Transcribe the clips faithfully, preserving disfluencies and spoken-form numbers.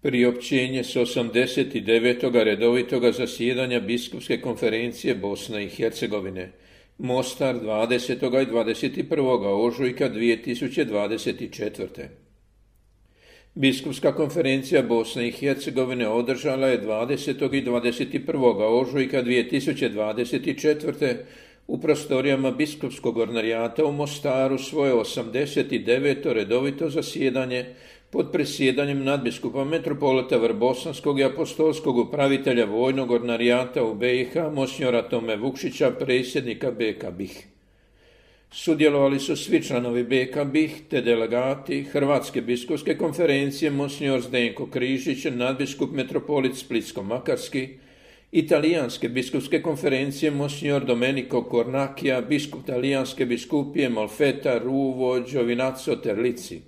Priopćenje s osamdeset devetog redovitoga zasjedanja Biskupske konferencije Bosne i Hercegovine, Mostar dvadesetog i dvadeset prvog ožujka dvije tisuće dvadeset četvrte. Biskupska konferencija Bosne i Hercegovine održala je dvadesetog i dvadeset prvog ožujka dvije tisuće dvadeset četvrte. u prostorijama Biskupskog ordinarijata u Mostaru svoje osamdeset deveto redovito zasjedanje pod presjedanjem nadbiskupa metropolita Vrbosanskog i apostolskog upravitelja vojnog ordinarijata u B i H, monsignora Tome Vukšića, predsjednika B K B I H. Sudjelovali su svi članovi B K B I H te delegati Hrvatske biskupske konferencije, monsignor Zdenko Križić, nadbiskup metropolit Splitsko-Makarski, Italijanske biskupske konferencije, monsignor Domenico Cornacchia, biskup Talijanske biskupije Molfetta, Ruvo, Giovinazzo, Terlici.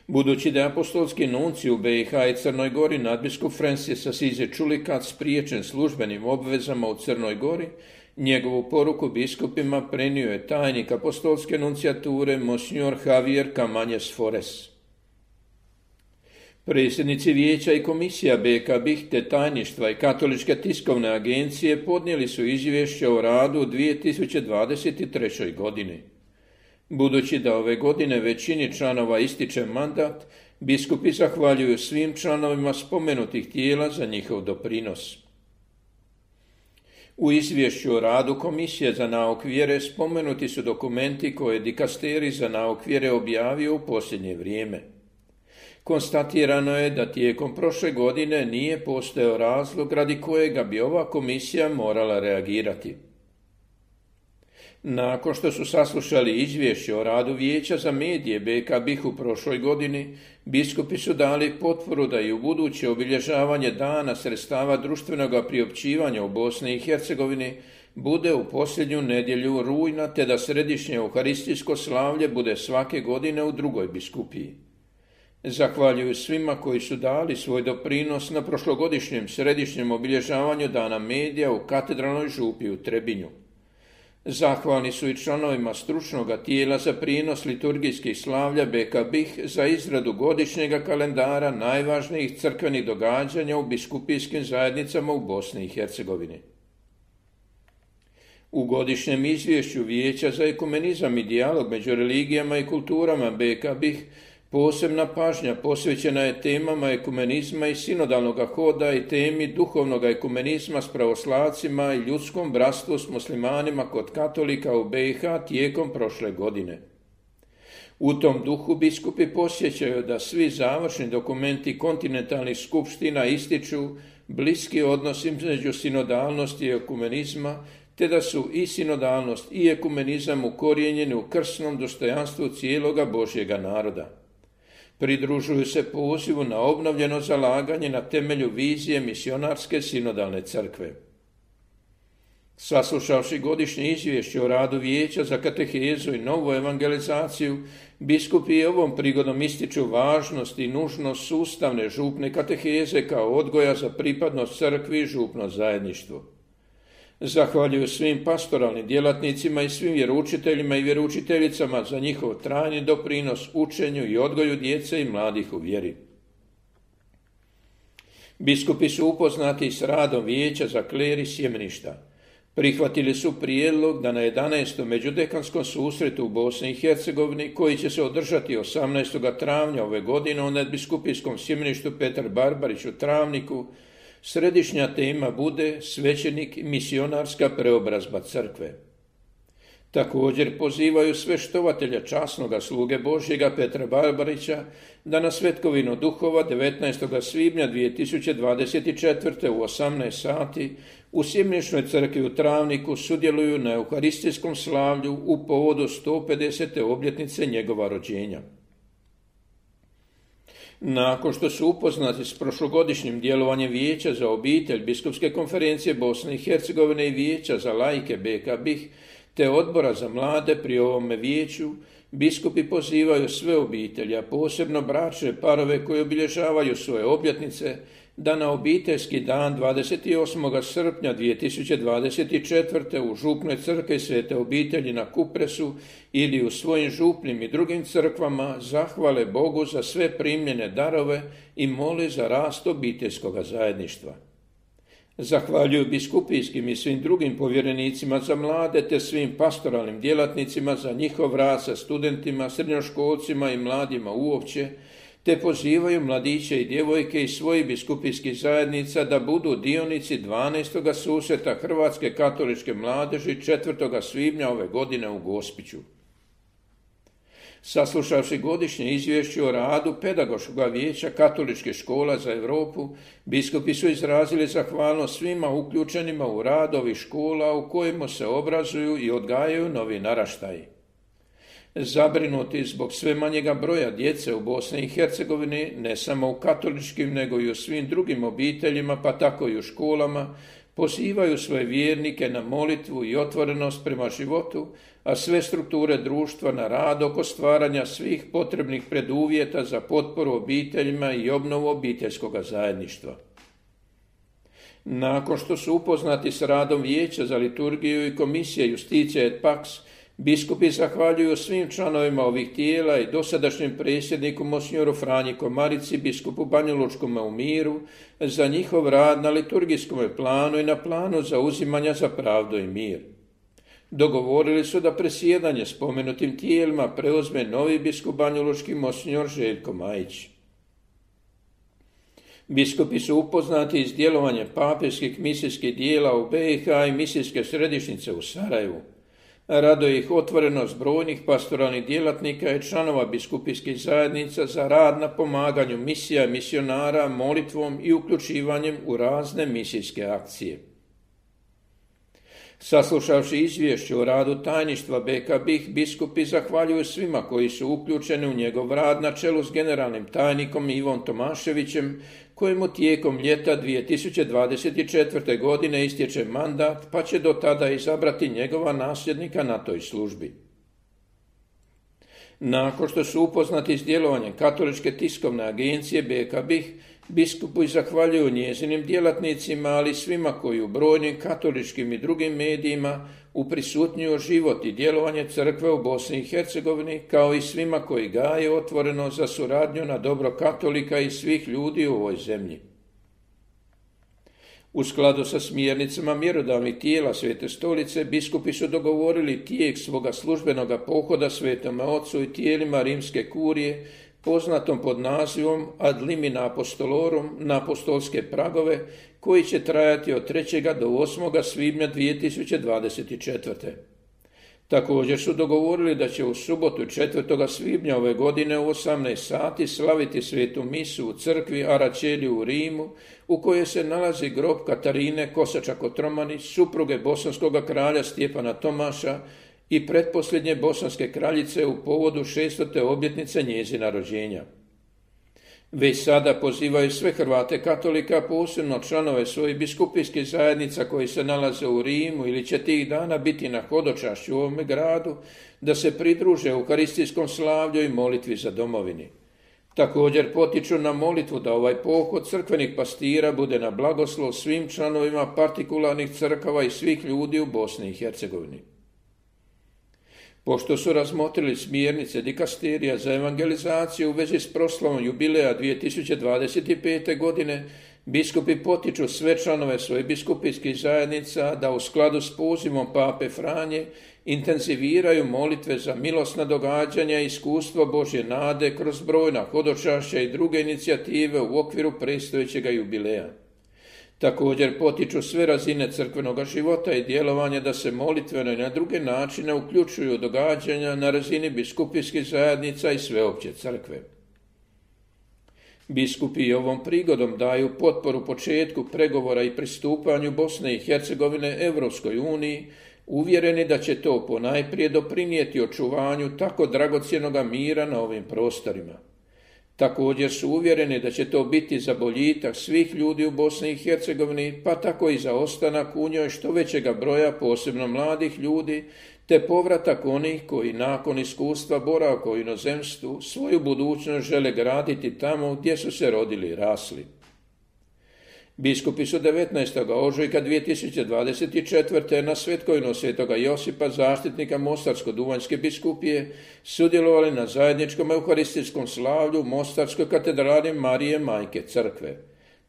Budući da je apostolski nunci u B i H i Crnoj Gori nadbiskup Francis Assisi Čulikac spriječen službenim obvezama u Crnoj Gori, njegovu poruku biskupima prenio je tajnik apostolske nuncijature monsignor Javier Camanjes Forés. Predsjednici vijeća i komisija B K B I H te tajništva i Katoličke tiskovne agencije podnijeli su izvješće o radu u dvije tisuće dvadeset trećoj. godini. Budući da ove godine većini članova ističe mandat, biskupi zahvaljuju svim članovima spomenutih tijela za njihov doprinos. U izvješću o radu Komisije za nauk vjere spomenuti su dokumenti koje je dikasterij za nauk vjere objavio u posljednje vrijeme. Konstatirano je da tijekom prošle godine nije postojao razlog radi kojega bi ova komisija morala reagirati. Nakon što su saslušali izvješće o radu Vijeća za medije B K B I H u prošloj godini, biskupi su dali potporu da i u buduće obilježavanje dana sredstava društvenog priopćivanja u Bosni i Hercegovini bude u posljednju nedjelju rujna, te da središnje euharistijsko slavlje bude svake godine u drugoj biskupiji. Zahvaljuju svima koji su dali svoj doprinos na prošlogodišnjem središnjem obilježavanju dana medija u katedralnoj župi u Trebinju. Zahvalni su i članovima stručnog tijela za prijenos liturgijskih slavlja B K B I H za izradu godišnjega kalendara najvažnijih crkvenih događanja u biskupijskim zajednicama u Bosni i Hercegovini. U godišnjem izvješću Vijeća za ekumenizam i dijalog među religijama i kulturama B K B I H posebna pažnja posvećena je temama ekumenizma i sinodalnog hoda i temi duhovnog ekumenizma s pravoslavcima i ljudskom bratstvu s muslimanima kod katolika u B i H tijekom prošle godine. U tom duhu biskupi posjećaju da svi završni dokumenti kontinentalnih skupština ističu bliski odnos između sinodalnosti i ekumenizma, te da su i sinodalnost i ekumenizam ukorijenjeni u krsnom dostojanstvu cijeloga Božjega naroda. Pridružuju se pozivu na obnovljeno zalaganje na temelju vizije misionarske sinodalne crkve. Saslušavši godišnje izvješće o radu Vijeća za katehezu i novu evangelizaciju, biskupi ovom prigodom ističu važnost i nužnost sustavne župne kateheze kao odgoja za pripadnost crkvi i župno zajedništvo. Zahvaljuju svim pastoralnim djelatnicima i svim vjeroučiteljima i vjeroučiteljicama za njihov trajni doprinos učenju i odgoju djece i mladih u vjeri. Biskupi su upoznati s radom Vijeća za kler i sjemeništa. Prihvatili su prijedlog da na jedanaestom međudekanskom susretu u Bosni i Hercegovini, koji će se održati osamnaestog travnja ove godine u nadbiskupijskom sjemeništu Petar Barbarić u Travniku, središnja tema bude svećenik i misionarska preobrazba crkve. Također pozivaju sve štovatelja časnoga sluge Božjega Petra Barbarića da na svetkovinu duhova devetnaestog svibnja dvije tisuće dvadeset četvrte. u osamnaest sati u sjemeničnoj crkvi u Travniku sudjeluju na euharistijskom slavlju u povodu sto pedesete obljetnice njegova rođenja. Nakon što su upoznati s prošlogodišnjim djelovanjem Vijeća za obitelj Biskupske konferencije Bosne i Hercegovine i Vijeća za laike B K B I H te odbora za mlade pri ovome vijeću, biskupi pozivaju sve obitelji, a posebno bračne parove koji obilježavaju svoje obljetnice, da na obiteljski dan dvadeset osmog srpnja dvije tisuće dvadeset četvrte. u župnoj crkvi Svete obitelji na Kupresu ili u svojim župnim i drugim crkvama zahvale Bogu za sve primljene darove i mole za rast obiteljskog zajedništva. Zahvaljuju biskupijskim i svim drugim povjerenicima za mlade te svim pastoralnim djelatnicima za njihov rad sa studentima, srednjoškolcima i mladima uopće, te pozivaju mladiće i djevojke iz svojih biskupijskih zajednica da budu dionici dvanaestog susreta Hrvatske katoličke mladeži četvrtog svibnja ove godine u Gospiću. Saslušavši godišnje izvješće o radu Pedagoškog vijeća katoličkih škola za Europu, biskupi su izrazili zahvalnost svima uključenima u rad ovih škola u kojima se obrazuju i odgajaju novi naraštaji. Zabrinuti zbog sve manjega broja djece u Bosni i Hercegovini, ne samo u katoličkim nego i u svim drugim obiteljima, pa tako i u školama, pozivaju svoje vjernike na molitvu i otvorenost prema životu, a sve strukture društva na rad oko stvaranja svih potrebnih preduvjeta za potporu obiteljima i obnovu obiteljskog zajedništva. Nakon što su upoznati s radom Vijeća za liturgiju i Komisije Justicija et Pax, biskupi zahvaljuju svim članovima ovih tijela i dosadašnjem predsjedniku monsinjoru Franji Komarici, biskupu Banjalučkome u Miru, za njihov rad na liturgijskom planu i na planu zauzimanja za pravdu i mir. Dogovorili su da presjedanje spomenutim tijelima preuzme novi biskup Banjalučki monsinjor Željko Majić. Biskupi su upoznati s djelovanjem papeskih misijskih dijela u be i ha i misijske središnjice u Sarajevu. Raduje ih otvorenost brojnih pastoralnih djelatnika i članova biskupijskih zajednica za rad na pomaganju misija i misionara, molitvom i uključivanjem u razne misijske akcije. Saslušavši izvješće o radu tajništva be ka be i ha, biskupi zahvaljuju svima koji su uključeni u njegov rad na čelu s generalnim tajnikom Ivom Tomaševićem, kojemu tijekom ljeta dvije tisuće dvadeset četvrte. godine istječe mandat, pa će do tada izabrati njegova nasljednika na toj službi. Nakon što su upoznati s djelovanjem Katoličke tiskovne agencije be ka be i ha, biskupi zahvaljuju njezinim djelatnicima, ali svima koji u brojnim katoličkim i drugim medijima uprisutnjuju život i djelovanje crkve u Bosni i Hercegovini, kao i svima koji gaje otvoreno za suradnju na dobro katolika i svih ljudi u ovoj zemlji. U skladu sa smjernicama mjerodavnih tijela Svete stolice, biskupi su dogovorili tijek svoga službenog pohoda Svetome Ocu i tijelima Rimske kurije, poznatom pod nazivom Ad limina apostolorum, na apostolske pragove, koji će trajati od trećeg do osmog svibnja dvije tisuće dvadeset četvrte. Također su dogovorili da će u subotu četvrtog svibnja ove godine u osamnaest sati slaviti svetu misu u crkvi Aračelji u Rimu, u kojoj se nalazi grob Katarine Kosača-Kotromanić, supruge bosanskog kralja Stjepana Tomaša i pretposljednje bosanske kraljice u povodu šestote obljetnice njezina rođenja. Već sada pozivaju sve Hrvate katolika, posebno članove svojih biskupijskih zajednica koji se nalaze u Rimu ili će tih dana biti na hodočašću u ovome gradu, da se pridruže euharistijskom slavlju i molitvi za domovini. Također potiču na molitvu da ovaj pohod crkvenih pastira bude na blagoslov svim članovima partikularnih crkava i svih ljudi u Bosni i Hercegovini. Pošto su razmotrili smjernice dikasterija za evangelizaciju u vezi s proslavom jubileja dvije tisuće dvadeset pete. godine, biskupi potiču sve članove svojih biskupijskih zajednica da u skladu s pozivom Pape Franje intenziviraju molitve za milosna događanja i iskustvo Božje nade kroz brojna hodočašća i druge inicijative u okviru predstojećega jubileja. Također potiču sve razine crkvenog života i djelovanja da se molitveno i na druge načine uključuju događanja na razini biskupijskih zajednica i sveopće crkve. Biskupi ovom prigodom daju potporu početku pregovora i pristupanju Bosne i Hercegovine Europskoj uniji, uvjereni da će to ponajprije doprinijeti očuvanju tako dragocjenoga mira na ovim prostorima. Također su uvjereni da će to biti za boljitak svih ljudi u Bosni i Hercegovini, pa tako i za ostanak u njoj što većega broja, posebno mladih ljudi, te povratak onih koji nakon iskustva boravka u inozemstvu svoju budućnost žele graditi tamo gdje su se rodili i rasli. Biskupi su devetnaestog ožujka dvije tisuće dvadeset četvrte na svetkovinu svetoga Josipa, zaštitnika Mostarsko-duvanjske biskupije, sudjelovali na zajedničkom euharistijskom slavlju u Mostarskoj katedrali Marije Majke crkve.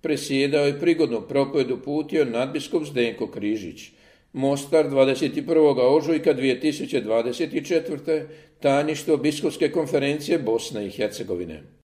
Presjedao je prigodnu propovedu uputio nadbiskup Zdenko Križić. Mostar, dvadeset prvog ožujka dvije tisuće dvadeset četvrte. Tajništvo Biskupske konferencije Bosne i Hercegovine.